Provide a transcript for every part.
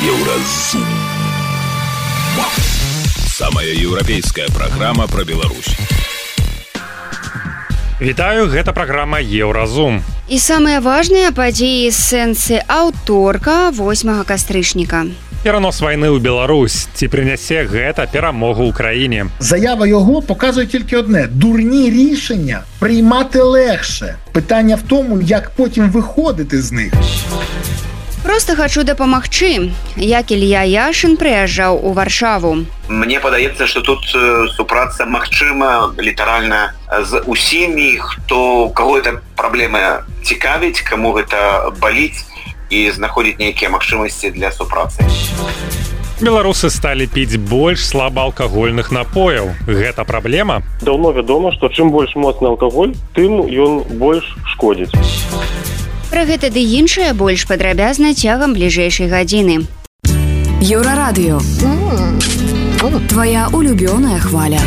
Еўразум. Самая еўрапейская праграма пра Беларусь. Вітаю, гэта праграма Еўразум. І самыя важныя падзеі з сэнсы аўторка 8 кастрычніка. Перанос вайны ў Беларусь. Ці прынясе гэта перамогу ўкраіне? Заява його показує тільки одне. Дурні рішення приймати легше. Питання в тому, як потім виходити з них. Просто хочу дапамагчы, як Ілья Яшин прыязджаў у Варшаву. Мне падаецца, што тут супраца магчыма літаральна з усімі, каго гэта праблема цікавіць, каму гэта баліць і знаходзіць нейкія магчымасці для супрацы. Беларусы сталі піць больш слабаалкагольных напояў. Гэта праблема? Даўно вядома, што чым больш моцны алкаголь, тым ён больш шкодзіць. Пра гэта ды іншае больш падрабязна цягам бліжэйшай гадзіны. Еўрарадыё. Твоя улюбёная хваля.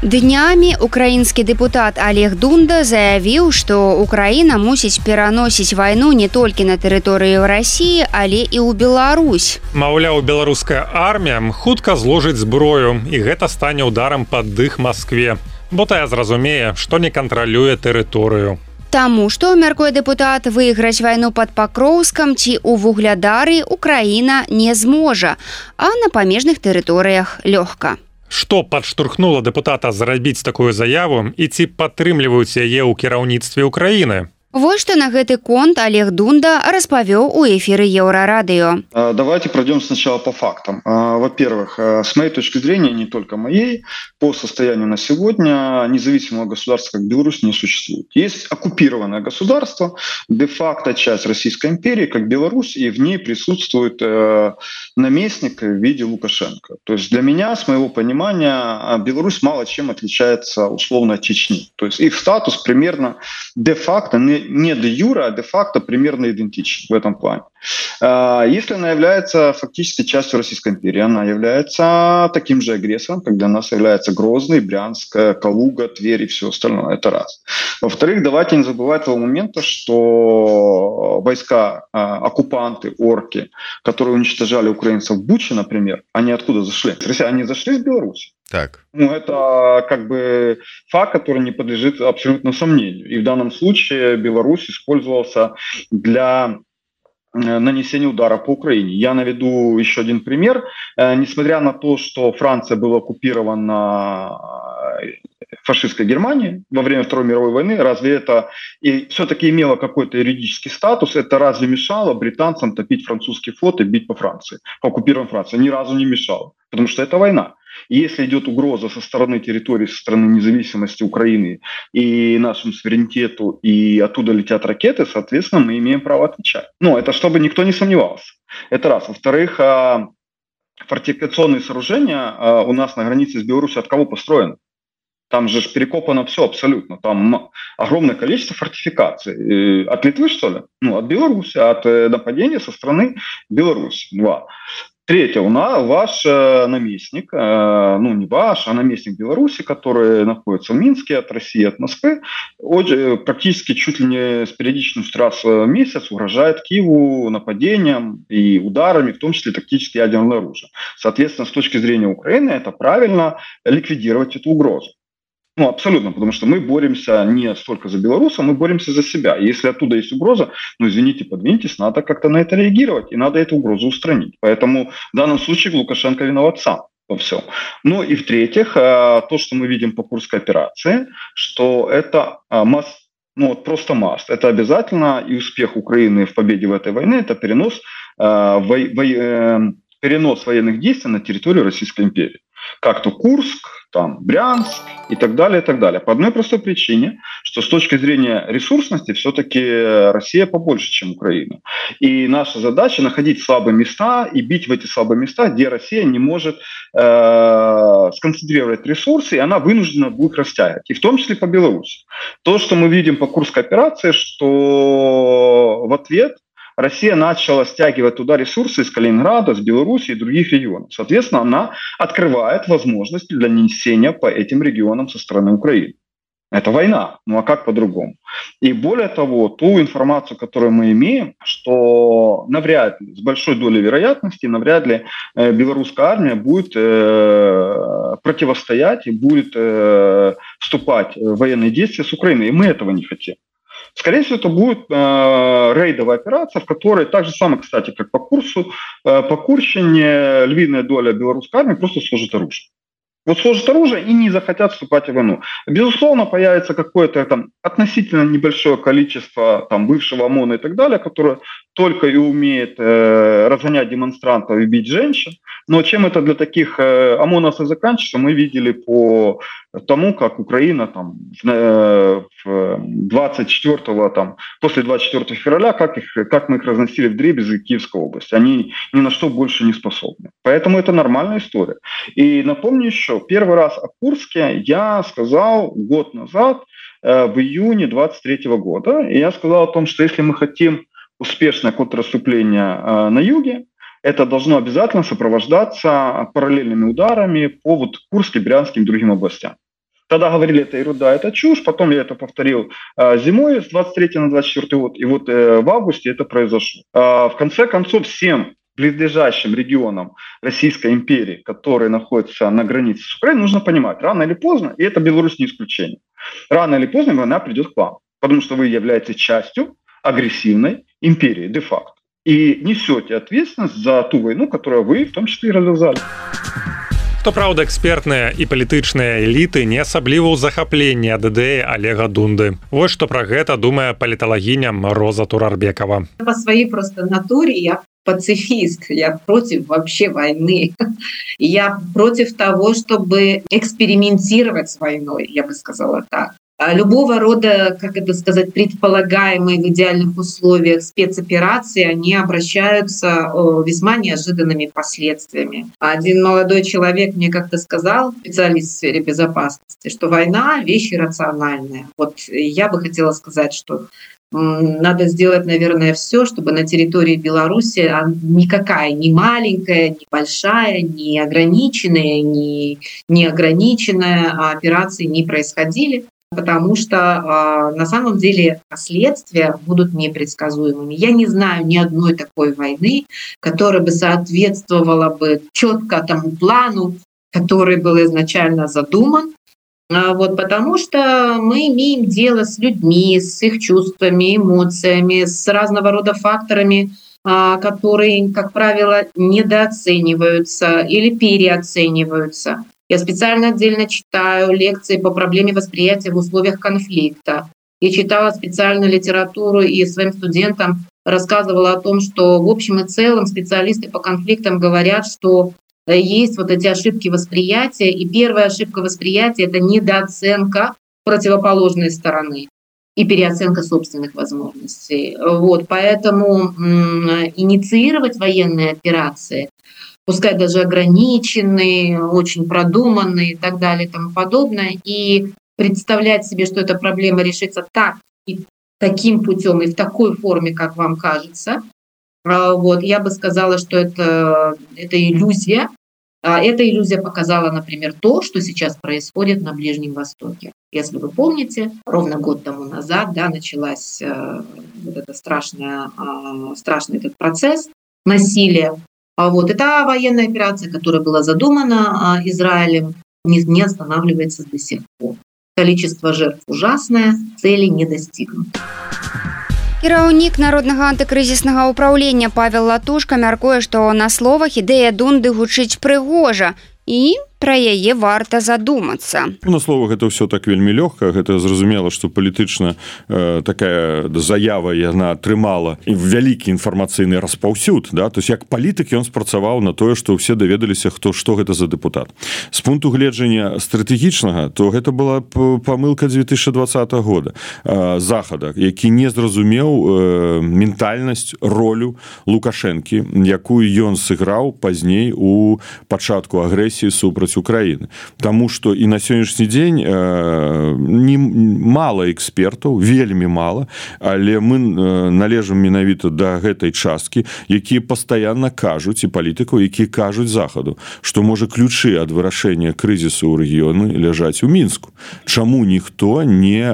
Днямі украінскі дэпутат Олег Дунда заявіў, што Украіна мусіць пераносіць вайну не толькі на тэрыторыю Расіі, але і ў Беларусь. Маўляў, беларуская армія хутка зложыць зброю, і гэта стане ударам пад дых Маскве. Бо тая зразумее, што не кантралюе тэрыторыю. Таму што, мяркуе дэпутат, выйграць вайну пад Пакроўскам ці ў Вуглядары Украіна не зможа, а на памежных тэрыторыях лёгка. Што падштурхнула дэпутата зрабіць такую заяву і ці падтрымліваюць яе ў кіраўніцтве Украіны? Вот что на гэты конт Олег Дунда распавёў у эфиры Еврорадио. Давайте пройдем сначала по фактам. Во-первых, с моей точки зрения, не только моей, по состоянию на сегодня независимого государства, как Беларусь, не существует. Есть оккупированное государство, де-факто часть Российской империи, как Беларусь, и в ней присутствует наместник в виде Лукашенко. То есть для меня, с моего понимания, Беларусь мало чем отличается условно от Чечни. То есть их статус примерно де-факто, не де-юре, а де-факто примерно идентичен в этом плане. Если она является фактически частью Российской империи, она является таким же агрессором, как для нас является Грозный, Брянск, Калуга, Тверь и все остальное. Это раз. Во-вторых, давайте не забывать того момента, что войска, оккупанты, орки, которые уничтожали украинцев в Буче, например, они откуда зашли? Они зашли из Беларуси. Так. Это как бы факт, который не подлежит абсолютно сомнению. И в данном случае Беларусь использовался для нанесения удара по Украине. Я наведу еще один пример. Несмотря на то, что Франция была оккупирована фашистской Германией во время Второй мировой войны, разве это и все-таки имело какой-то юридический статус? Это разве мешало британцам топить французский флот и бить по Франции, по оккупированной Франции? Ни разу не мешало, потому что это война. И если идет угроза со стороны территории, со стороны независимости Украины и нашему суверенитету, и оттуда летят ракеты, соответственно, мы имеем право отвечать. Но это чтобы никто не сомневался. Это раз. Во-вторых, фортификационные сооружения у нас на границе с Беларусью от кого построены? Там же перекопано все абсолютно. Там огромное количество фортификаций. От Литвы, что ли? От Беларуси, от нападения со стороны Беларуси. Два. Третье, ваш наместник, не ваш, а наместник Беларуси, который находится в Минске от России, от Москвы, практически чуть ли не с периодичностью раз в месяц угрожает Киеву нападением и ударами, в том числе тактически ядерное оружие. Соответственно, с точки зрения Украины, это правильно ликвидировать эту угрозу. Абсолютно, потому что мы боремся не столько за белорусов, мы боремся за себя. И если оттуда есть угроза, извините, подвиньтесь, надо как-то на это реагировать, и надо эту угрозу устранить. Поэтому в данном случае Лукашенко виноват сам во всем. И в-третьих, то, что мы видим по Курской операции, что это просто must. Это обязательно, и успех Украины в победе в этой войне, это перенос военных действий на территорию Российской империи. Как-то Курск, Брянск и так далее, и так далее. По одной простой причине, что с точки зрения ресурсности все-таки Россия побольше, чем Украина. И наша задача находить слабые места и бить в эти слабые места, где Россия не может сконцентрировать ресурсы, и она вынуждена будет их растягивать. И в том числе по Беларуси. То, что мы видим по Курской операции, что в ответ Россия начала стягивать туда ресурсы из Калининграда, с Беларуси и других регионов. Соответственно, она открывает возможности для нанесения по этим регионам со стороны Украины. Это война. Ну а как по-другому? И более того, ту информацию, которую мы имеем, что навряд ли, с большой долей вероятности, навряд ли белорусская армия будет противостоять и будет вступать в военные действия с Украиной. И мы этого не хотим. Скорее всего, это будет рейдовая операция, в которой так же самое, кстати, как по курсу, по Курщине львиная доля белорусской армии просто сложит оружие. Вот сложат оружие и не захотят вступать в войну. Безусловно, появится какое-то там относительно небольшое количество там бывшего ОМОНа и так далее, которое только и умеет разгонять демонстрантов и бить женщин. Но чем это для таких ОМОНовцев заканчивается, мы видели по тому, как Украина там в 24-го, там, после 24 февраля, как мы их разносили вдребезги Киевской области. Они ни на что больше не способны. Поэтому это нормальная история. И напомню еще, первый раз о Курске я сказал год назад, в июне 23 года. И я сказал о том, что если мы хотим успешное контрнаступление на юге, это должно обязательно сопровождаться параллельными ударами по вот Курске, Брянским и другим областям. Тогда говорили, это ерунда, это чушь. Потом я это повторил зимой с 23 на 24 год. И вот в августе это произошло. В конце концов, всем близлежащим регионам Российской империи, которые находятся на границе с Украиной, нужно понимать, рано или поздно, и это Беларусь не исключение, рано или поздно война придет к вам, потому что вы являетесь частью агрессивной империи де-факто и несете ответственность за ту войну, которую вы в том числе и развязали. Што праўда, экспертныя і палітычныя эліты не асабліва ў захапленні ад ідэі Олега Дунды. Вот што пра гэта думае паліталагіня Роза Турарбекова. По своей просто натуре я пацифист, я против вообще войны. Я против того, чтобы экспериментировать с войной, я бы сказала так. Любого рода, как это сказать, предполагаемые в идеальных условиях спецоперации, они обращаются весьма неожиданными последствиями. Один молодой человек мне как-то сказал, специалист в сфере безопасности, что война – вещь иррациональная. Вот я бы хотела сказать, что надо сделать, наверное, все, чтобы на территории Беларуси никакая, ни маленькая, ни большая, ни ограниченная, ни неограниченная операции не происходили. Потому что на самом деле последствия будут непредсказуемыми. Я не знаю ни одной такой войны, которая бы соответствовала бы четко тому плану, который был изначально задуман. Вот, потому что мы имеем дело с людьми, с их чувствами, эмоциями, с разного рода факторами, которые, как правило, недооцениваются или переоцениваются. Я специально отдельно читаю лекции по проблеме восприятия в условиях конфликта. Я читала специально литературу и своим студентам рассказывала о том, что в общем и целом специалисты по конфликтам говорят, что есть вот эти ошибки восприятия. И первая ошибка восприятия – это недооценка противоположной стороны и переоценка собственных возможностей. Вот, поэтому инициировать военные операции, пускай даже ограниченные, очень продуманные и так далее и тому подобное, и представлять себе, что эта проблема решится так и таким путем и в такой форме, как вам кажется, вот, я бы сказала, что это иллюзия. Эта иллюзия показала, например, то, что сейчас происходит на Ближнем Востоке. Если вы помните, ровно год тому назад началась вот это страшный этот процесс насилия. Вот это военная операция, которая была задумана Израилем, не останавливается до сих пор. Количество жертв ужасное, цели не достигнуты. Кіраўнік народнага антыкрызіснага ўпраўлення Павел Латушка мяркуе, што на словах ідэя Дунды гучыць прыгожа і пра яе варта задумацца. На словах это ўсё так вельмі лёгка, гэта зразумела, што палітычна такая заява яна атрымала вялікі інфармацыйны распаўсюд, да? То есть як палітык ён спрацаваў на тое, што ўсе даведаліся, што гэта за дэпутат. З пункту гледжання стратэгічнага, то гэта была памылка 2020 года захада, які не зразумеў ментальнасць, ролю Лукашэнкі, якую ён сыграў пазней у пачатку агрэсіі супраць супраць Украіны. Таму што і на сённяшні дзень мала экспертаў, вельмі мала, але мы належым менавіта да гэтай часткі, якія пастаянна кажуць, і палітыкаў, якія кажуць захаду, што можа ключы ад вырашэння крызісу ў рэгіёны ляжаць у Мінску. Чаму ніхто не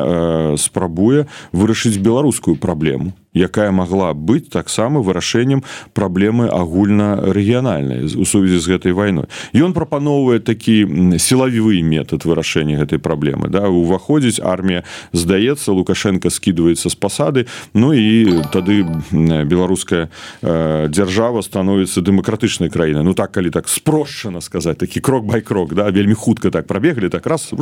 спрабуе вырашыць беларускую праблему, якая могла быць таксама вырашэннем праблемы агульнарэгіянальнай у сувязі з гэтай вайной. Ён прапаноўвае такі сілавівы метад вырашэння гэтай праблемы. Да? Уваходзіць армія, здаецца, Лукашенко скідваецца з пасады, ну і тады беларуская дзяржава становіцца дэмакратычнай краінай. Ну так, калі так спрошчана сказаць, такі крок бай крок, да? Вельмі хутка так прабеглі, так раз,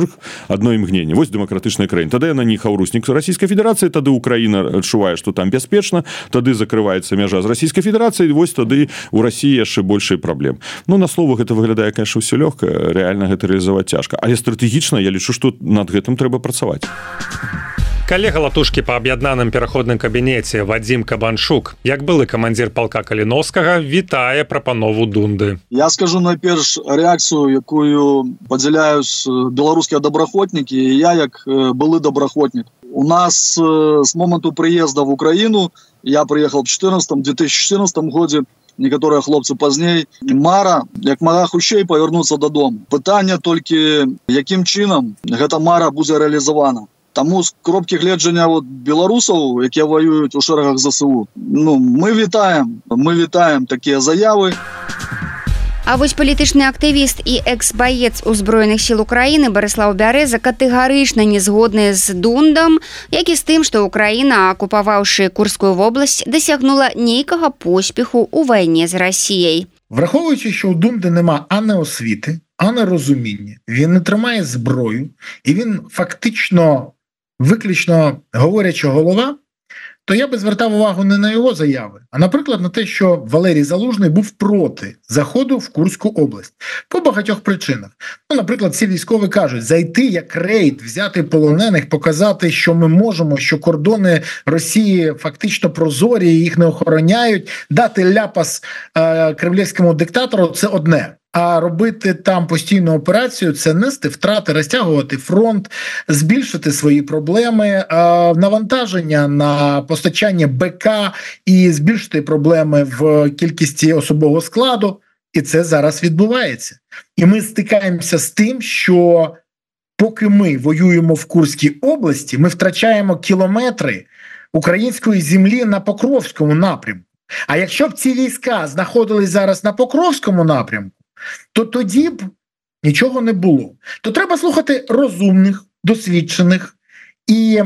адно імгненне. Вось дэмакратычная краіна. Тады яна не хаўруснік Расійскай Федэрацыі, тады Украіна адчувае, што там бяспечна, тады закрываецца мяжа з Расійскай Федэрацыі, вось тады у Расіі яшчэ большай праблем. Ну, на словах гэта выглядае, конечно, ўсё лёгка, рэальна гэта рэалізаваць цяжка. Але стратэгічна я лічу, што над гэтым трэба працаваць. Калега Латушкі па аб'яднаным пераходным кабінеце Вадзім Кабанчук, як былы камандзір палка Каліновскага, вітае прапанову Дунды. Я скажу найперш рэакцыю, якую падзяляюць беларускія добраахвотнікі, і я як былы добраахвотнік. У нас с моменту приезда в Украину, я приехал в 2014 годзе, некоторые хлопцы пазней, мара, як мага хутчэй павярнуцца дадому. Пытанне толькі, якім чынам гэта мара будзе рэалізавана. Таму з кропкі гледжання беларусаў, якія воююць у шэрагах ЗСУ, мы вітаем такія заявы. А вось палітычны актывіст і экс-баец узброеных сіл Украіны Барыслаў Бярэза катэгарычна не згодны з Дундам, як і з тым, што Украіна, акупаваўшы Курскую вобласць, дасягнула нейкага поспеху ў вайне з Расіяй. Враховуючи, що у Дунди нема ані освіти, ані розуміння, він не тримає зброю, і він фактично, виключно говорячи голова, то я би звертав увагу не на його заяви, а, наприклад, на те, що Валерій Залужний був проти заходу в Курську область. По багатьох причинах. Наприклад, ці військові кажуть, зайти як рейд, взяти полонених, показати, що ми можемо, що кордони Росії фактично прозорі, їх не охороняють, дати ляпас кремлівському диктатору – це одне. А робити там постійну операцію – це нести втрати, розтягувати фронт, збільшити свої проблеми, навантаження на постачання БК і збільшити проблеми в кількості особового складу. І це зараз відбувається. І ми стикаємося з тим, що поки ми воюємо в Курській області, ми втрачаємо кілометри української землі на Покровському напрямку. А якщо б ці війська знаходились зараз на Покровському напрямку, то тоді б нічого не було. То треба слухати розумних, досвідчених і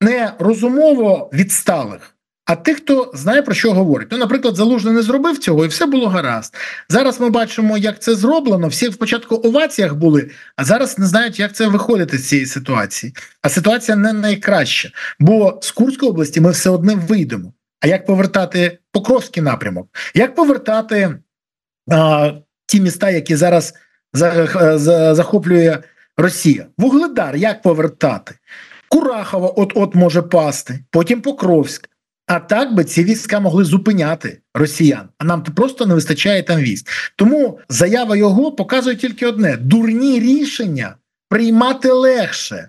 не розумово відсталих, а тих, хто знає, про що говорить. Наприклад, Залужний не зробив цього, і все було гаразд. Зараз ми бачимо, як це зроблено. Всі спочатку в оваціях були, а зараз не знають, як це виходити з цієї ситуації. А ситуація не найкраща, бо з Курської області ми все одно вийдемо. А як повертати Покровський напрямок? Як повертати ті міста, які зараз захоплює Росія? Вугледар як повертати? Курахово от-от може пасти, потім Покровськ. А так би ці війська могли зупиняти росіян. А нам просто не вистачає там військ. Тому заява його показує тільки одне. Дурні рішення приймати легше.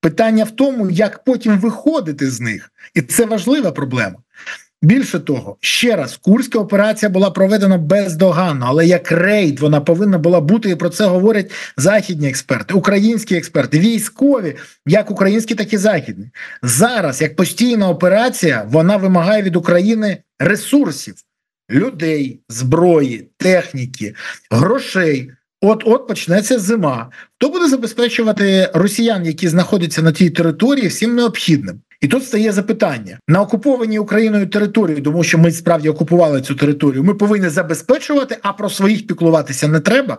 Питання в тому, як потім виходити з них. І це важлива проблема. Більше того, ще раз, Курська операція була проведена бездоганно, але як рейд вона повинна була бути, і про це говорять західні експерти, українські експерти, військові, як українські, так і західні. Зараз, як постійна операція, вона вимагає від України ресурсів, людей, зброї, техніки, грошей. От почнеться зима. Хто буде забезпечувати росіян, які знаходяться на тій території, всім необхідним? І тут стає запитання. На окупованій Україною території, тому що ми справді окупували цю територію, ми повинні забезпечувати, а про своїх піклуватися не треба?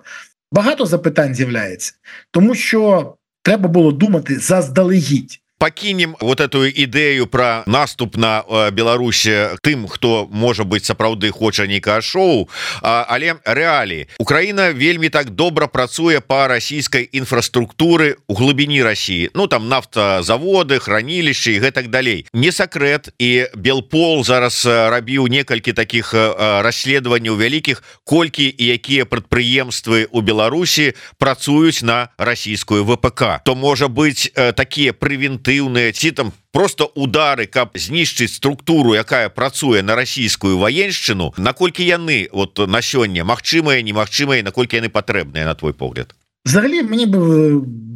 Багато запитань з'являється. Тому що треба було думати заздалегідь. пакінем вот эту ідэю про наступ на Беларусі тым, хто можа быць сапраўды хоча нейкае шоу, але рэаліі. Украіна вельмі так добра працуе па расійскай інфраструктуры у глыбіні Расіі. Ну там нафтазаводы, хранілішчы і гэтак далей. Не сакрэт, і Белпол зараз рабіў некалькі такіх расследаванняў вялікіх, колькі і якія прадпрыемствы у Беларусі працуюць на расійскую ВПК. То можа быць такія прэвентыўныя ці там просто удары, каб знішчыць структуру, якая працуе на расійскую ваеншчыну, наколькі яны вот на сёння магчымыя, немагчымыя, наколькі яны патрэбныя, на твой погляд? Взагалі, мені б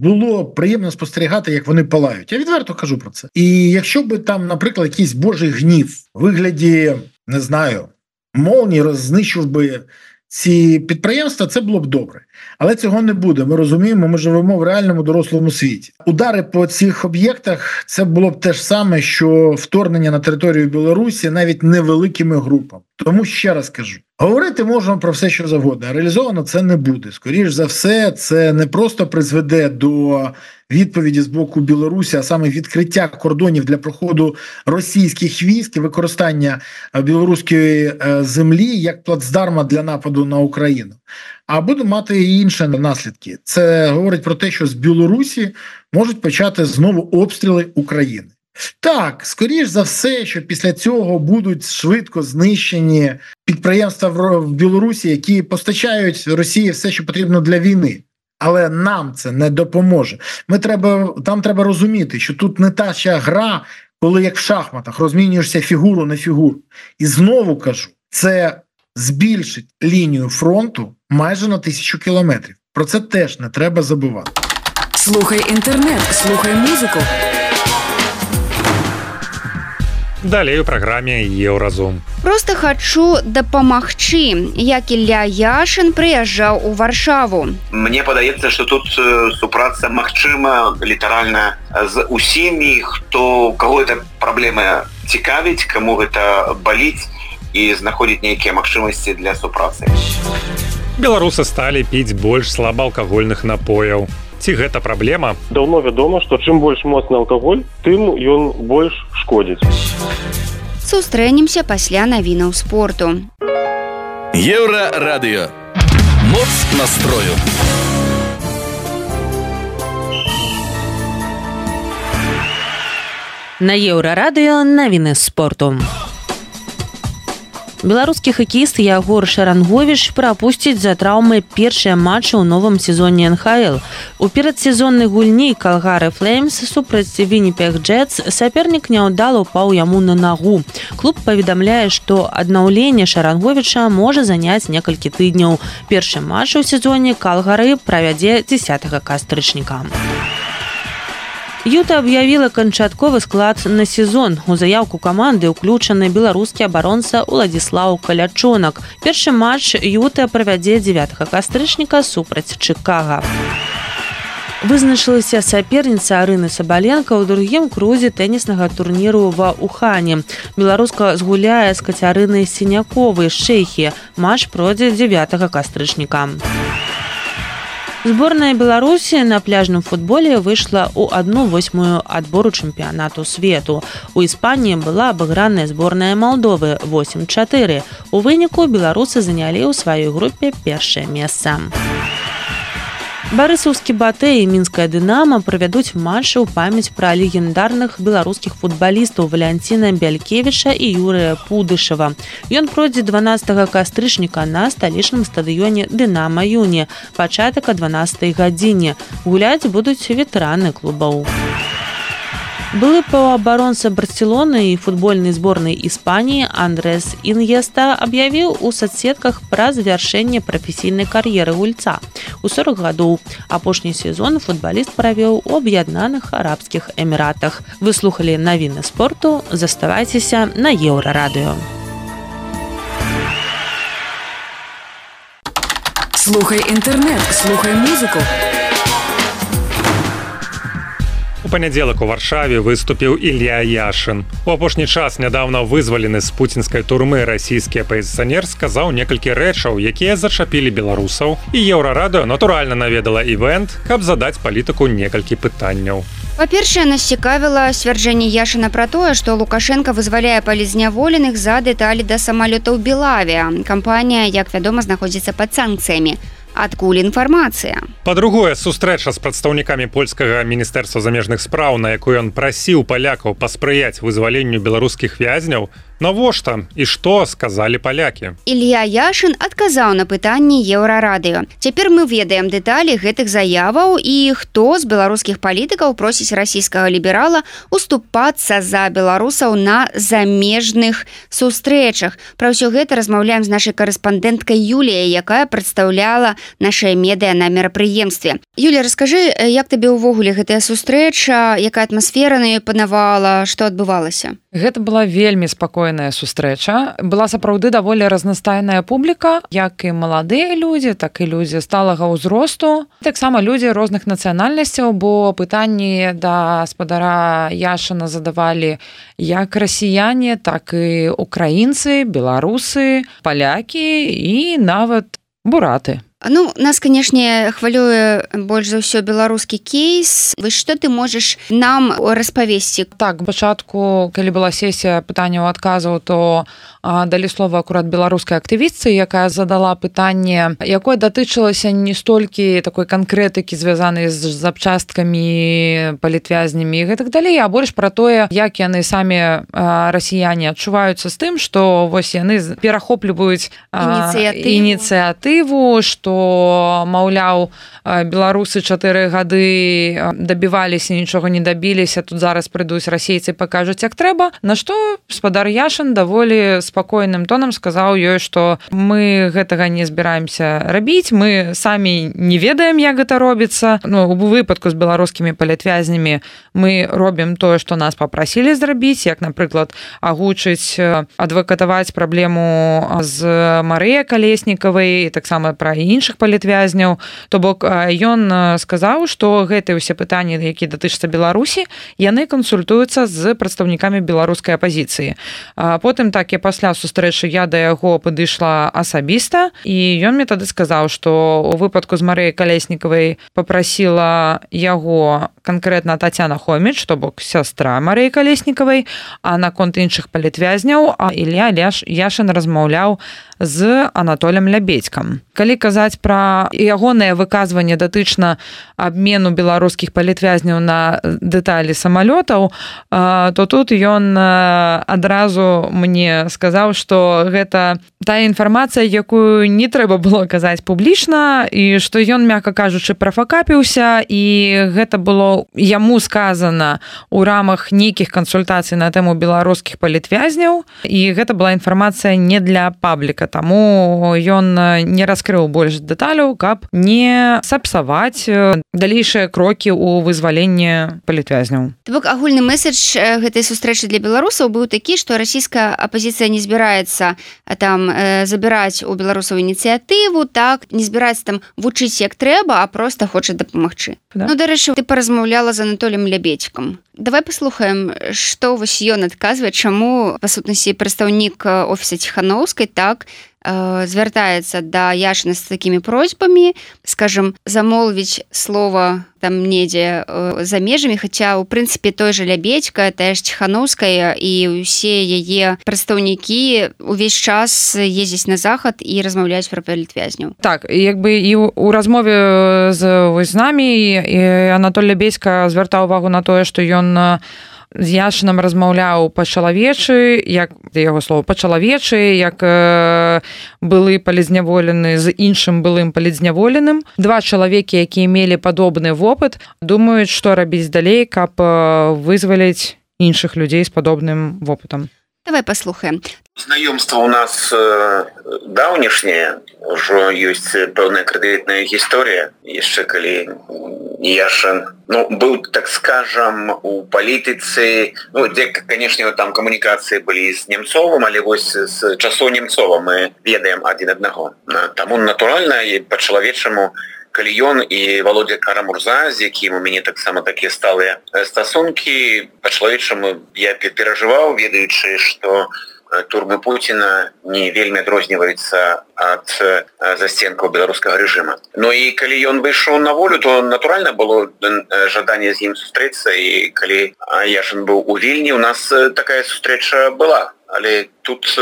було приємно спостерігати, як вони палають. Я відверто кажу про це. І якщо б там, наприклад, якийсь божий гнів в вигляді, не знаю, молнії рознищив би ці підприємства, це було б добре. Але цього не буде. Ми розуміємо, ми живемо в реальному дорослому світі. Удари по цих об'єктах – це було б те ж саме, що вторгнення на територію Білорусі навіть невеликими групами. Тому ще раз кажу, говорити можемо про все, що завгодно, а реалізовано це не буде. Скоріш за все, це не просто призведе до відповіді з боку Білорусі, а саме відкриття кордонів для проходу російських військ і використання білоруської землі як плацдарма для нападу на Україну. А буде мати і інші наслідки. Це говорить про те, що з Білорусі можуть почати знову обстріли України. Так, скоріш за все, що після цього будуть швидко знищені підприємства в Білорусі, які постачають Росії все, що потрібно для війни. Але нам це не допоможе. Там треба розуміти, що тут не та ще гра, коли як в шахматах розмінюєшся фігуру на фігуру. І знову кажу, це збільшить лінію фронту майже на 1000 кілометрів. Про це теж не треба забувати. Слухай інтернет, слухай музику. Далей у праграме Еўразум. Просто хочу дапамагчы, як Ілля Яшин прыязджаў у Варшаву. Мне падаецца, што тут супраца магчыма літаральна з усімі, хто каго эта праблема цікавіць, каму гэта баліць і знаходзіць нейкія магчымасці для супрацы. Беларусы сталі піць больш слабаалкагольных напояў. Ці гэта праблема? Даўно вядома, што чым больш моцны алкаголь, тым ён больш шкодзіць. Сустрэнемся пасля навінаў спорту. Еўрарадыё. Моц настрою. На Еўрарадыё навіны спорту. Беларускі хакеіст Ягор Шаранговіч прапусціць за траўмы першыя матчы ў новым сезоне НХЛ. У перадсезоннай гульні Калгары Флеймс супраць Вінніпег Джетс сапернік няўдала ўпаў яму на нагу. Клуб паведамляе, што аднаўленне Шаранговіча можа заняць некалькі тыдняў. Першы матч у сезоне Калгары правядзе 10 кастрычніка. Юта аб'явіла канчатковы склад на сезон. У заяўку каманды ўключаны беларускі абаронца Уладзіслаў Калячонак. Першы матч Юта правядзе 9 кастрычніка супраць Чыкага. Вызначылася саперніца Арыны Сабаленка ў другім крузе тэніснага турніру ва Ухане. Беларуска згуляе з Кацярынай Сіняковай з Чэхіі. Матч пройдзе 9 кастрычніка. Зборная Беларусі на пляжным футболе выйшла ў 1/8 адбору чэмпіянату свету. У Іспаніі была абыграная зборная Малдовы 8-4. У выніку беларусы занялі ў сваёй групе першае месца. Барысаўскі Батэ і мінская Дынама правядуць матчы ў памяць пра легендарных беларускіх футбалістаў Валянціна Бялькевіча і Юрыя Пудышева. Ён пройдзе 12 кастрычніка на сталічным стадыёне Дынама Юні, пачатак о 12 гадзіне. Гуляць будуць ветэраны клубаў. Былы паўабаронца Барселоны і футбольнай зборнай Іспаніі Андрес Іньеста аб'явіў у соцсетках пра завяршэнне прафесійнай кар'еры гульца. У 40 гадоў апошні сезон футбаліст правёў у Аб'яднаных Арабскіх Эміратах. Вы слухалі навіны спорту, заставайцеся на Еўрарадыё. Слухай інтэрнэт, слухай музыку. У панядзелак у Варшаве выступіў Ілля Яшин. У апошні час нядаўна вызвалены з пуцінскай турмы расійскі апазіцыянер сказаў некалькі рэчаў, якія зачапілі беларусаў. І Еўрарадыё натуральна наведала івент, каб задаць палітыку некалькі пытанняў. Па-першае, нас цікавіла сцвярджэнне Яшына пра тое, што Лукашенко вызваляе палізняволеных за дэталі да самалётаў Белавія. Кампанія, як вядома, знаходзіцца пад санкцыямі. Адкуль інфармацыя? Па-другое, сустрэча з прадстаўнікамі польскага міністэрства замежных спраў, на якой ён прасіў палякаў паспрыяць вызваленню беларускіх вязняў, навошта і што сказалі палякі? Ілья Яшын адказаў на пытанні Еўрарадыё. Цяпер мы ведаем дэталі гэтых заяваў і хто з беларускіх палітыкаў просіць расійскага ліберала уступацца за беларусаў на замежных сустрэчах. Пра ўсё гэта размаўляем з нашай карэспандэнткай Юліяй, якая прадстаўляла нашае медыа на мерапрыемстве. Юля, раскажы, як табе ўвогуле гэтая сустрэча, якая атмасфера на ёй панавала, што адбывалася? Гэта была вельмі спакойная сустрэча. Была сапраўды даволі разнастайная публіка, як і маладыя людзі, так і людзі сталага ўзросту. Таксама людзі розных нацыянальнасцяў, бо пытанні да гаспадара Яшына задавалі як расіяне, так і украінцы, беларусы, палякі і нават бураты. Ну, нас, канешне, хвалюе больш за ўсё беларускі кейс. Вось што ты можаш нам распавесці? Так, пачатку, калі была сесія пытанняў адказаў, то далі слова акурат беларускай актывістцы, якая задала пытанне, якое датычылася не столькі такой канкрэтыкі, звязанай з запчасткамі, палітвязнямі і гэтак далей, а больш пра тое, як яны самі расіяне адчуваюцца з тым, што вось яны перахопліваюць ініцыятыву, што маўляў, беларусы 4 гады дабіваліся, нічога не дабіліся, тут зараз прыйдуць расейцы, пакажуць, як трэба. На што гаспадар Яшын даволі спакойным тонам сказаў ёй, што мы гэтага не збіраемся рабіць, мы самі не ведаем, як гэта робіцца. Ну, у выпадку з беларускімі палітвязнямі мы робім тое, што нас папрасілі зрабіць, як, напрыклад, агучыць, адвакатаваць праблему з Марыяй Калеснікавай, і таксама пра іншых палітвязняў. То бок ён сказаў, што гэтыя ўсе пытанні, якія датычацца Беларусі, яны кансультуюцца з прадстаўнікамі беларускай апазіцыі. Потым так і пасля сустрэчы я да яго падышла асабіста, і ён мне тады сказаў, што у выпадку з Марыяй Калеснікавай папрасіла яго канкрэтна Тацяна Хоміч, то бок сястра Марыі Калеснікавай, а наконт іншых палітвязняў Ілья Яшын размаўляў з Анатолем Лябедзькам. Калі казаць пра ягонае выказванне датычна абмену беларускіх палітвязняў на дэталі самалётаў, то тут ён адразу мне сказаў, што гэта тая інфармацыя, якую не трэба было казаць публічна, і што ён, мякка кажучы, прафакапіўся, і гэта было яму сказана ў рамах нейкіх кансультацый на тэму беларускіх палітвязняў, і гэта была інфармацыя не для пабліка, таму ён не раскрыў больш дэталяў, каб не сапсаваць далейшыя крокі ў вызваленні палітвязняў. То бок агульны месседж гэтай сустрэчы для беларусаў быў такі, што расійская апазіцыя не збіраецца там забіраць у беларусаў ініцыятыву, так, не збіраецца там вучыць як трэба, а проста хоча дапамагчы. Да. Ну, дарэчы, ты паразмаўляла з Анатолем Лябедзькам. Давай паслухаем, што вось ён адказвае, чаму, па сутнасці, прадстаўнік офіса Ціханаўскай так звяртаецца да Яшына з такімі просьбамі, скажем, замолвіць слова там недзе за межамі, хаця, у прынцыпе, той жа Лябедзька, тая ж Ціханаўская і ўсе яе прадстаўнікі увесь час ездзяць на захад і размаўляюць пра палітвязняў. Так, як бы і ў размове з намі Анатоль Лябедзька звяртаў увагу на тое, што ён з Яшынам размаўляў па-чалавечы, як яго слова па-чалавечы, як былы палізняволены з іншым былым палізняволеным. 2 чалавекі, якія мелі падобны вопыт, думаюць, што рабіць далей, каб вызваліць іншых людзей з падобным вопытам. Давай паслухаем. Знаёмства у нас даўнішняе, ужо ёсць пэўная крэдытная гісторыя, яшчэ калі Яшын, быў, так скажам, у палітыцы, дзе, канешне, там камунікацыі былі з Немцовым, але вось з часоў Немцова мы ведаем адзін аднаго. Таму, натуральна, і па-чалавечаму, калі ён і Володя Карамурза, з якім у мяне таксама такія сталыя стасункі, па-чалавечаму я перажываў, ведаючы, што турмы Путина не вельмі адрозніваецца ад застенкаў беларускага рэжыма. Ну і калі ён выйшаў на волю, то натуральна было жаданне з ім сустрэцца, і калі Яшин быў у Вільні, у нас такая сустрэча была. Але тут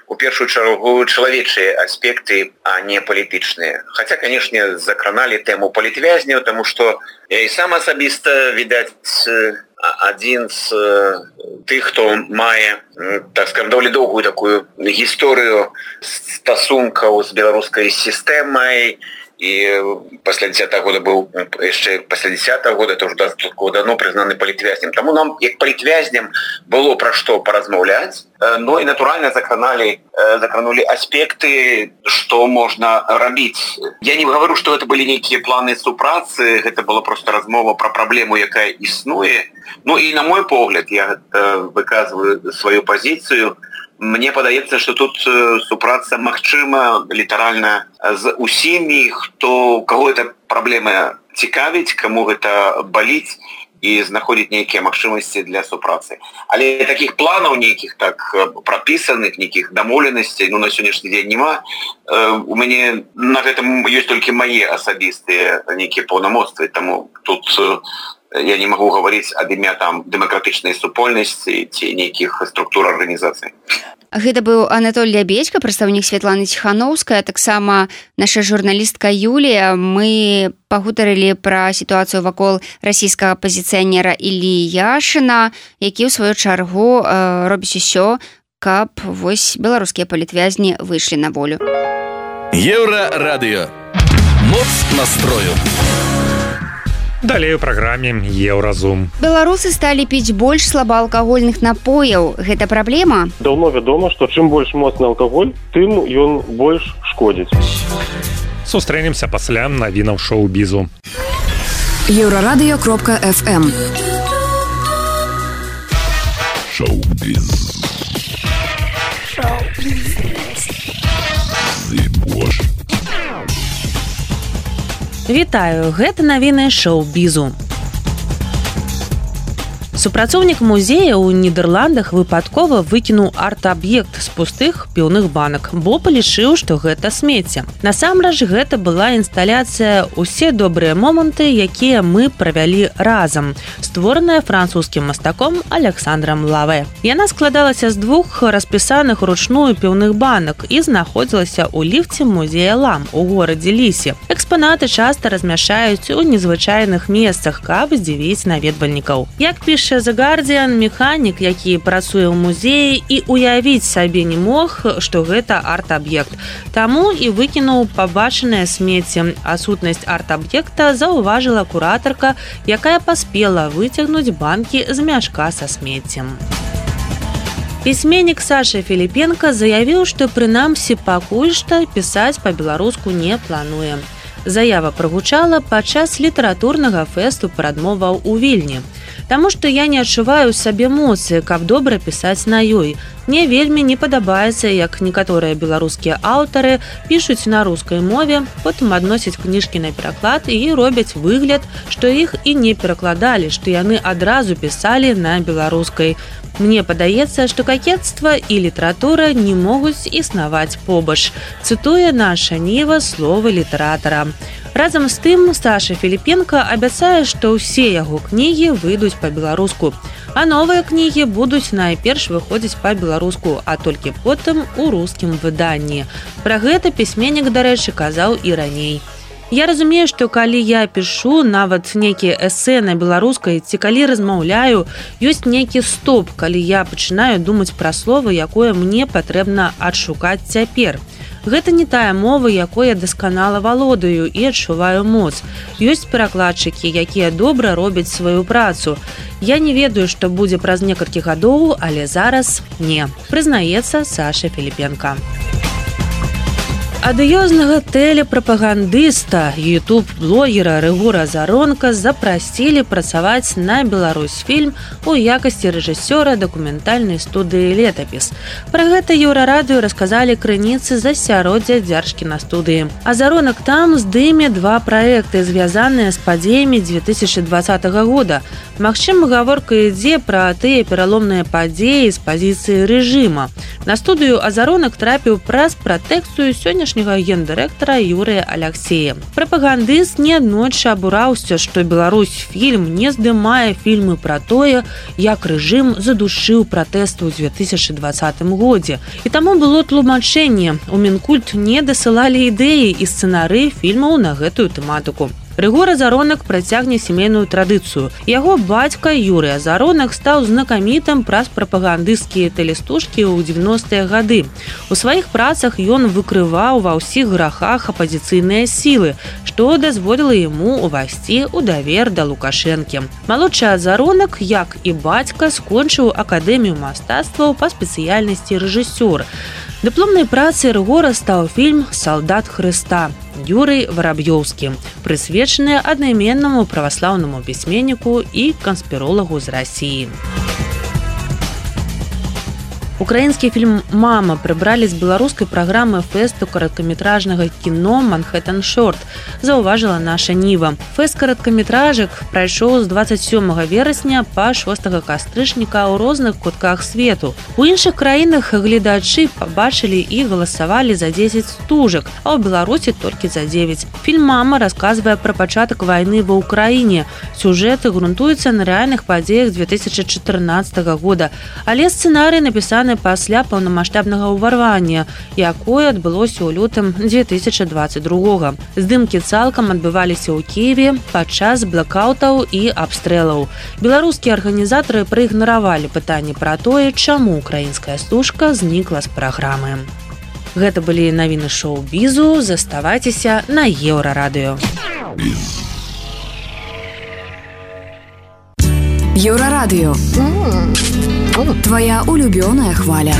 у першую чаргу чалавечыя аспекты, а не палітычныя. Хаця, канешне, закраналі тэму палітвязняў, таму што я і сам асабіста, відаць, адзін з тых, хто мае, так скажем, даволі доўгую такую гісторыю стасункаў з беларускай сістэмай, і пасля 10-го года быў яшчэ пасля 10-го года, это ўжо давно прызнаны палітвязням. Таму нам, як палітвязням, было пра што паразмаўляць. Ну і натуральна закранулі аспекты, што можна рабіць. Я не гавару, што гэта былі нейкія планы супрацы, гэта была проста размова пра праблему, якая існуе. Ну і на мой погляд, я выказваю сваю пазіцыю, мне падаецца, што тут супраца магчыма літаральна з усімі, хто каго эта праблема цікавіць, каму гэта баліць, і знаходзіць нейкія магчымасці для супрацы. Але такіх планаў нейкіх так прапісаных, нейкіх дамоўленасцей, ну, на сённяшні дзень няма. У мяне на гэтым ёсць толькі мае асабістыя нейкія паўнамоцтвы, таму тут я не магу гаварыць ад імя там дэмакратычнай супольнасці ці нейкіх структур арганізацый. Гэта быў Анатоль Лябедзька, прадстаўнік Святланы Ціханаўская, таксама наша журналістка Юлія. Мы пагутарылі пра сітуацыю вакол расійскага апазіцыянера Іллі Яшина, які ў сваю чаргу робіць усё, каб вось беларускія палітвязні выйшлі на волю. Еўрарадыё. Моц настрою. Далей у праграме Еўразум. Беларусы сталі піць больш слабаалкагольных напояў. Гэта праблема? Даўно вядома, што чым больш моцны алкаголь, тым ён больш шкодзіць. Сустрэнемся пасля навінаў шоу-бізу. Еўрарадыё.фм. Шоу-біз. Вітаю, гэта навіны шоу-бізу. Супрацоўнік музея ў Нідерландах выпадкова выкінуў арт-аб'ект з пустых піўных банак, бо палічыў, што гэта смецце. Насамрэч, гэта была інсталяцыя «Усе добрыя моманты, якія мы правялі разам», створаная французскім мастаком Александром Лаве. Яна складалася з двух распісаных ручную піўных банак і знаходзілася ў ліфце музея Лам у горадзе Лісе. Экспанаты часта размяшаюць у незвычайных месцах, каб здзівіць наведвальнікаў. Як піша The Guardian, механік, які працуе ў музеі, і уявіць сабе не мог, што гэта арт-аб'ект. Таму і выкінуў пабачанае смецце. А сутнасць арт-аб'екта заўважыла куратарка, якая паспела выцягнуць банкі з мяшка са смеццем. Пісьменнік Саша Філіпенка заявіў, што прынамсі пакуль што пісаць па-беларуску не плануе. Заява прагучала падчас літаратурнага фэсту прадмоваў у Вільні. Таму што я не адчуваю ў сабе моцы, каб добра пісаць на ёй. Мне вельмі не падабаецца, як некаторыя беларускія аўтары пішуць на рускай мове, потым адносяць кніжкі на пераклад і робяць выгляд, што іх і не перакладалі, што яны адразу пісалі на беларускай. Мне падаецца, што какетства і літаратура не могуць існаваць побач. Цытуе наша Ніва словы літаратара. Разам з тым, Саша Філіпенка абяцае, што ўсе яго кнігі выйдуць па-беларуску, а новыя кнігі будуць найперш выходзіць па-беларуску, а толькі потым у рускім выданні. Пра гэта пісьменнік, дарэчы, казаў і раней. Я разумею, што калі я пішу нават нейкія эсэ на беларускай ці калі размаўляю, ёсць нейкі стоп, калі я пачынаю думаць пра слово, якое мне патрэбна адшукаць цяпер. Гэта не тая мова, якой я дасканала валодаю і адчуваю моц. Ёсць перакладчыкі, якія добра робяць сваю працу. Я не ведаю, што будзе праз некалькі гадоў, але зараз не. Прызнаецца Саша Філіпенка. Адыёзнага тэлепрапагандыста, ютуб-блогера Рыгора Заронка запрасілі працаваць на Беларусьфільм у якасці рэжысёра дакументальнай студыі «Летапіс». Пра гэта Еўрарадыё расказалі крыніцы з асяроддзя дзяржкінастудыі. А Заронак там здыме два праекты, звязаныя з падзеямі 2020 года. Магчыма, гаворка ідзе пра тыя пераломныя падзеі з пазіцыі рэжыма. На студыю Азаронак трапіў праз пратэкцыю сённяшняга гендырэктара Юрыя Аляксея. Прапагандыст неаднойчы абураўся, што Беларусьфільм не здымае фільмы пра тое, як рэжым задушыў пратэсты ў 2020 годзе. І таму было тлумачэнне. У Мінкульт не дасылалі ідэі і сцэнарыі фільмаў на гэтую тэматыку. Рыгор Азаронак працягне сямейную традыцыю. Яго бацька Юрый Азаронак стаў знакамітым праз прапагандысцкія тэлестужкі ў 90-е гады. У сваіх працах ён выкрываў ва ўсіх грахах апазіцыйныя сілы, што дазволіла яму ўвайсці ў давер да Лукашэнкі. Малодшы Азаронак, як і бацька, скончыў акадэмію мастацтваў па спецыяльнасці рэжысёр. Дыпломнай працай Рыгора стаў фільм «Салдат Хрыста» Юрый Вараб'ёўскі, прысвечаны аднайменнаму праваслаўнаму пісьменніку і канспіролагу з Расіі. Украінскі фільм «Мама» прыбралі з беларускай праграмы фэсту кароткаметражнага кіно «Манхэттен Шорт», заўважыла наша Ніва. Фэст кароткаметражак прайшоў з 27 верасня па 6 кастрычніка ў розных кутках свету. У іншых краінах гледачы пабачылі і галасавалі за 10 стужак, а ў Беларусі толькі за 9. Фільм «Мама» расказвае пра пачатак вайны ва ўкраіне. Сюжэт грунтуецца на рэальных падзеях 2014 года, але сцэнарый напісаны пасля паўнамаштабнага ўварвання, якое адбылося ў лютым 2022. Здымкі цалкам адбываліся ў Кіеве падчас блэкаутаў і абстрэлаў. Беларускія арганізатары праігнаравалі пытанні пра тое, чаму украінская стужка знікла з праграмы. Гэта былі навіны шоу-бізу. Заставайцеся на Еўрарадыё. Еўрарадыё. Твоя улюбёная хваля.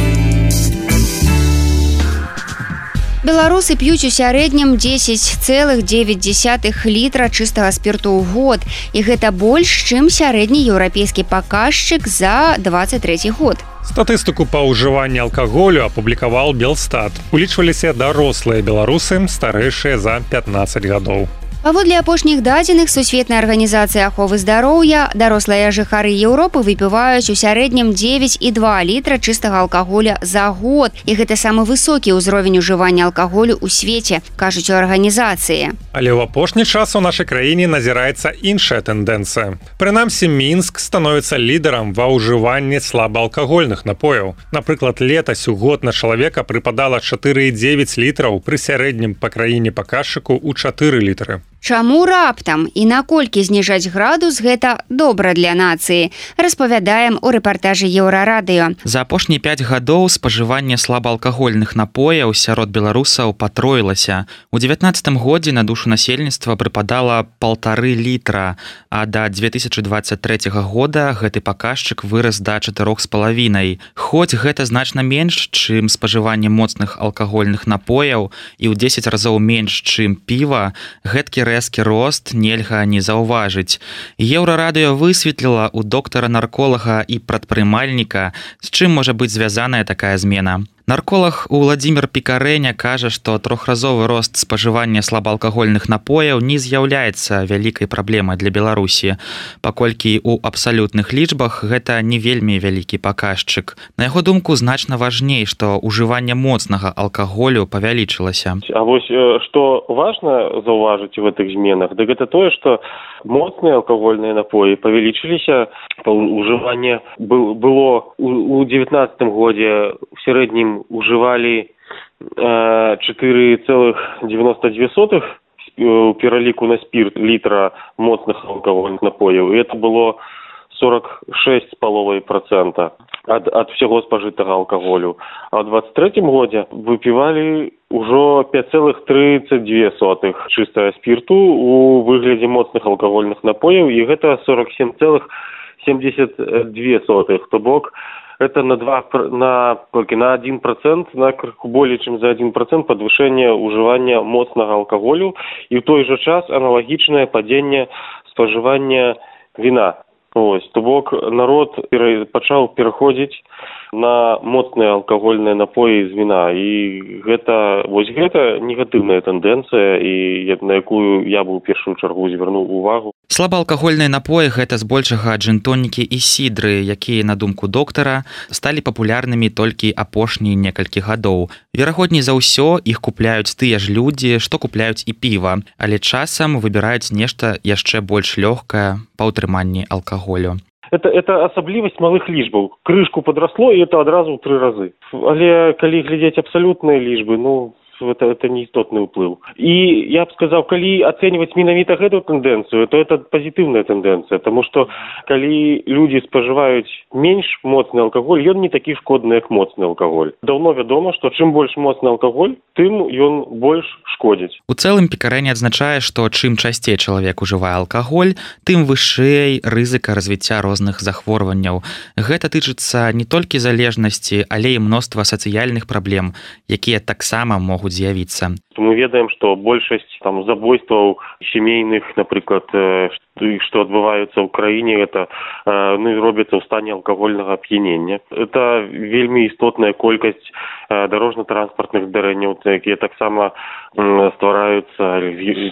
Беларусы п'юць у сярэднім 10,9 літра чыстага спірту ў год. І гэта больш, чым сярэдні еўрапейскі паказчык за 23 год. Статыстыку па ўжыванні алкаголю апублікаваў Белстат. Улічваліся дарослыя беларусы, старэйшыя за 15 гадоў. Паводле апошніх дадзеных Сусветнай арганізацыі аховы здароўя, дарослыя жыхары Еўропы выпіваюць у сярэднім 9,2 літра чыстага алкаголя за год. І гэта самы высокі ўзровень ужывання алкаголю ў свеце, кажуць у арганізацыі. Але ў апошні час у нашай краіне назіраецца іншая тэндэнцыя. Прынамсі, Мінск становіцца лідарам ва ўжыванні слабаалкагольных напояў. Напрыклад, летась у год на чалавека прыпадала 4,9 літраў пры сярэднім па краіне паказчыку ў 4 літры. Чаму раптам і наколькі зніжаць градус гэта добра для нацыі, распавядаем у рэпартажы Еўрарадыё. За апошнія 5 гадоў спажыванне слабаалкагольных напояў сярод беларусаў патроілася. У 19 годзе на душу насельніцтва прыпадала 1,5 літра, а да 2023 года гэты паказчык вырас да 4,5. Хоць гэта значна менш, чым спажыванне моцных алкагольных напояў і ў 10 разоў менш, чым піва, гэткі рэзкі рост нельга не заўважыць. Еўрарадыё высветліла ў доктара-нарколага і прадпрымальніка, з чым можа быць звязаная такая змена. Нарколог Уладзімір Пікарэня кажа, што трохразовы рост спажывання слабаалкагольных напояў не з'яўляецца вялікай праблемай для Беларусі, паколькі ў абсалютных лічбах гэта не вельмі вялікі паказчык. На яго думку, значна важней, што ўжыванне моцнага алкаголю павялічылася. А вось што важна заўважыць у гэтых зменах, дык гэта тое, што моцныя алкагольныя напоі павялічыліся, ўжыванне было у 19 годзе в сярэднім ужывалі 4,92 у пераліку на спірт літра моцных алкагольных напояў. І это было 46,5% ад всяго спажытага алкаголю. А ў 23 годзе выпівалі ўжо 5,32 чыстага спірту у выглядзе моцных алкагольных напояў, і гэта 47,72, то бок это на 1%, на более чем за 1% подвышение уживания моцнага алкоголю и в той же час аналогичное падение споживания вина. Ось, то бок народ пачаў пераходзіць на моцныя алкагольныя напоі з віна. І гэта негатыўная тэндэнцыя, і на якую я бы ў першую чаргу звярнуў увагу. Слабаалкагольныя напоі гэта збольшага джин-тонікі і сідры, якія, на думку доктара, сталі папулярнымі толькі апошнія некалькі гадоў. Верагодней за ўсё іх купляюць тыя ж людзі, што купляюць і піва, але часам выбіраюць нешта яшчэ больш лёгкае па ўтрыманні алкаголю. Это асаблівасць малых лічбаў. Крышку падрасло, і это адразу ў 3 разы. Але калі глядзець абсалютныя лічбы, это неістотны ўплыў. І я б сказаў, калі ацэньваць менавіта гэтую тэндэнцыю, то это пазітыўная тэндэнцыя, таму што калі людзі спажываюць менш моцны алкаголь, ён не такі шкодны, як моцны алкаголь. Даўно вядома, што чым больш моцны алкаголь, тым ён больш шкодзіць. У цэлым Пікарэні адзначае, што чым часцей чалавек ужывае алкаголь, тым вышэй рызыка развіцця розных захворванняў. Гэта тычыцца не толькі залежнасці, але і мноства сацыяльных праблем, якія таксама могуць з'явіцца. Мы ведаем, што большасць забойстваў сямейных, напрыклад, што адбываюцца ў краіне, это робяцца ў стане алкагольнага ап'янення. Это вельмі істотная колькасць дарожна-транспартных здарэнняў, якія таксама ствараюцца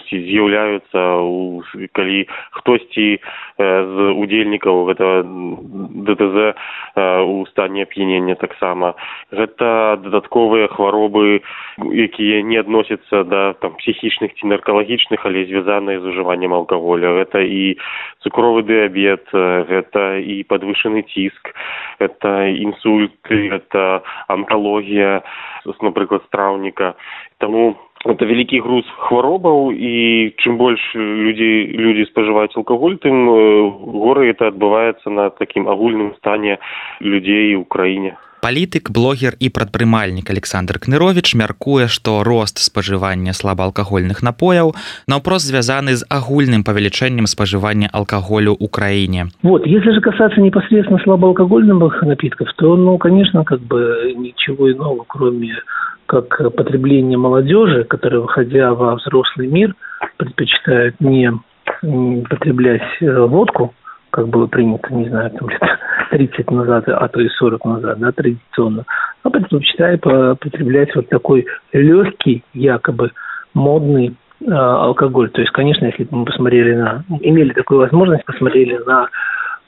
ці з'яўляюцца, калі хтосьці з удзельнікаў гэта ДТЗ у стане ап'янення таксама. Гэта дадатковыя хваробы, якія не адносяцца да псіхічных ці наркалагічных, але звязаныя з ужываннем алкаголя. Гэта і цукровы дыябет, гэта і падвышаны ціск, гэта інсульты, гэта онкалогія, напрыклад, страўніка. Таму это вялікі груз хваробаў, і чым больш людзі спажываюць алкаголь, тым горай это адбываецца на такім агульным стане людзей у краіне. Палітык, блогер і прадпрымальнік Александр Кныровіч мяркуе, што рост спажывання слабаалкагольных напояў наўпрост звязаны з агульным павелічэннем спажывання алкаголю ў краіне. Если же касаться непосредственно слабоалкогольных напитков, то, конечно, ничего иного, кроме как потребление молодежи, которая, выходя во взрослый мир, предпочитает не потреблять водку, как было принято, не знаю, 30 назад, а то и 40 назад, традиционно, а предпочитает потреблять такой легкий, якобы модный алкоголь. То есть, конечно, если бы мы имели такую возможность, посмотрели на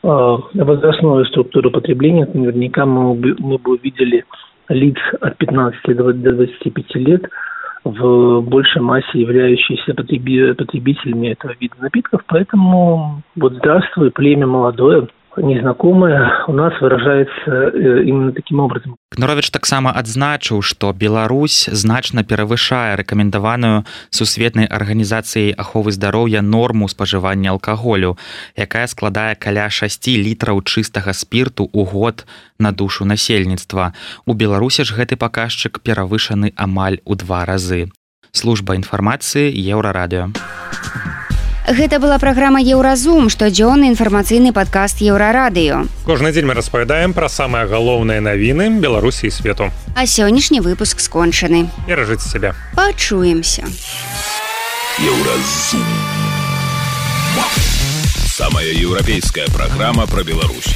возрастную структуру потребления, то наверняка мы бы увидели лиц от 15 до 25 лет в большей массе являющиеся потребителями этого вида напитков. Поэтому здравствуй, племя молодое, незнакомое, у нас выражается именно таким образом. Кныровіч таксама адзначыў, што Беларусь значна перавышае рэкамендаваную Сусветнай арганізацыяй аховы здароўя норму спажывання алкаголю, якая складае каля 6 літраў чыстага спірту ў год на душу насельніцтва. У Беларусі ж гэты паказчык перавышаны амаль у 2 разы. Служба інфармацыі Еўрарадыё. Гэта была праграма «Еўразум», штодзённы інфармацыйны падкаст «Еўрарадыё». Кожны дзень мы распавядаем пра самыя галоўныя навіны Беларусі і свету. А сённяшні выпуск скончаны. Беражыце сябе. Пачуемся. «Еўразум». Самая еўрапейская праграма пра Беларусь.